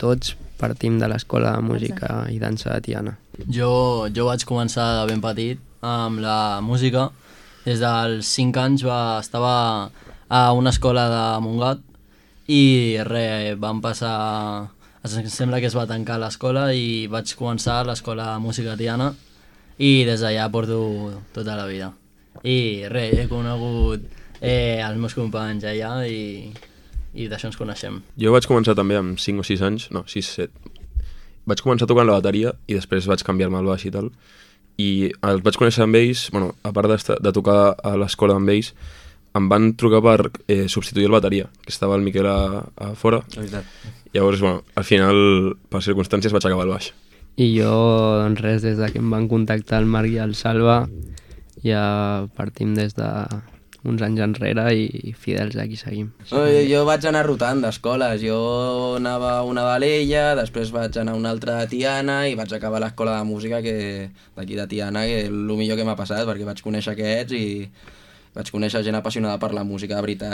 tots partim de l'Escola de Música i Dansa de Tiana. Jo vaig començar de ben petit amb la música. Des dels 5 anys estava a una escola de Montgat i vam passar... Sembla que es va tancar l'escola i vaig començar a l'Escola de Música Tiana i des d'allà porto tota la vida. I he conegut els meus companys allà i d'això ens coneixem. Jo vaig començar també amb 5 o 6 anys, no, 6, 7. Vaig començar tocant la bateria i després vaig canviar-me al baix i tal. I els vaig conèixer amb ells, bueno, a part de tocar a l'escola amb ells, em van trucar per substituir el bateria, que estava el Miquel a fora. Llavors, bueno, al final, per circumstàncies, vaig acabar al baix. I jo, doncs res, des que em van contactar el Marc i el Salva, ja partim des d'uns anys enrere i fidels aquí seguim. Jo vaig anar rotant d'escoles. Jo anava a una d'Alella, després vaig anar a una altra de Tiana i vaig acabar a l'Escola de Música d'aquí de Tiana, que és el millor que m'ha passat, perquè vaig conèixer aquests i vaig conèixer gent apassionada per la música de veritat